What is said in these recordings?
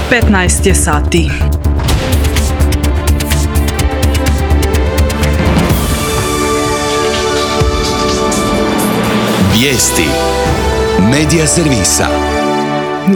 15 je sati. Vijesti Medija servisa.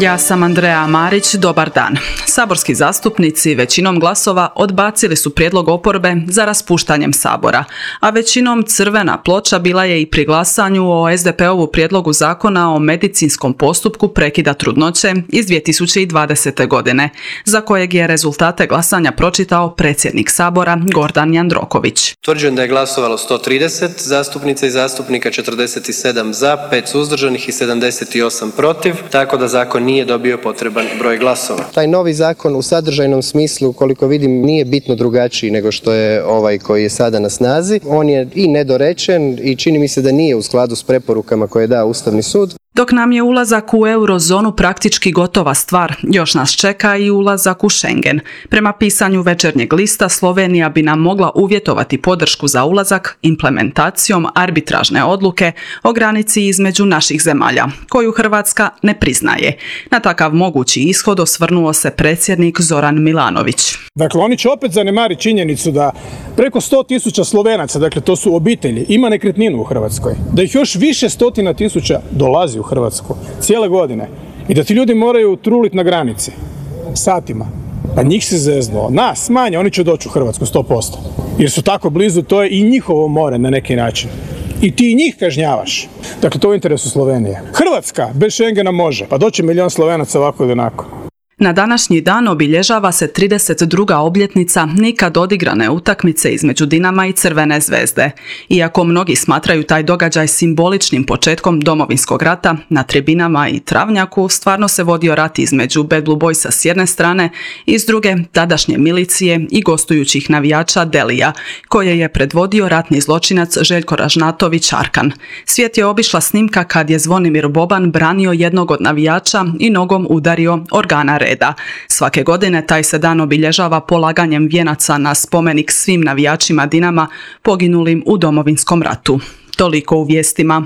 Ja sam Andreja Marić, dobar dan. Saborski zastupnici većinom glasova odbacili su prijedlog oporbe za raspuštanjem Sabora, a većinom crvena ploča bila je i pri glasanju o SDP-ovu prijedlogu zakona o medicinskom postupku prekida trudnoće iz 2020. godine, za kojeg je rezultate glasanja pročitao predsjednik Sabora Gordan Jandroković. Utvrđujem da je glasovalo 130 zastupnica i zastupnika, 47 za, 5 suzdržanih i 78 protiv, tako da zakon nije dobio potreban broj glasova. Taj novi zakon u sadržajnom smislu, koliko vidim, nije bitno drugačiji nego što je ovaj koji je sada na snazi. On je i nedorečen i čini mi se da nije u skladu s preporukama koje je dao Ustavni sud. Dok nam je ulazak u eurozonu praktički gotova stvar, još nas čeka i ulazak u Schengen. Prema pisanju Večernjeg lista, Slovenija bi nam mogla uvjetovati podršku za ulazak implementacijom arbitražne odluke o granici između naših zemalja, koju Hrvatska ne priznaje. Na takav mogući ishod osvrnuo se predsjednik Zoran Milanović. Dakle, oni će opet zanemariti činjenicu da preko 100.000 Slovenaca, dakle to su obitelji, ima nekretninu u Hrvatskoj. Da ih još više stotina tisuća dolazi u Hrvatsku cijele godine i da ti ljudi moraju truliti na granici satima. Pa njih se zeznuo. Nas manje, oni će doći u Hrvatsku 100%. Jer su tako blizu, to je i njihovo more na neki način. I ti i njih kažnjavaš. Dakle, to je u interesu Slovenije. Hrvatska bez Schengena može, pa doći milion Slovenaca ovako ili onako. Na današnji dan obilježava se 32. obljetnica nikad odigrane utakmice između Dinama i Crvene zvezde. Iako mnogi smatraju taj događaj simboličnim početkom Domovinskog rata, na tribinama i travnjaku stvarno se vodio rat između Bad Blue Boysa s jedne strane i s druge tadašnje milicije i gostujućih navijača Delija, koje je predvodio ratni zločinac Željko Ražnatović Arkan. Svijet je obišla snimka kad je Zvonimir Boban branio jednog od navijača i nogom udario organa reda. Svake godine taj se dan obilježava polaganjem vijenaca na spomenik svim navijačima Dinama poginulim u Domovinskom ratu. Toliko u vijestima.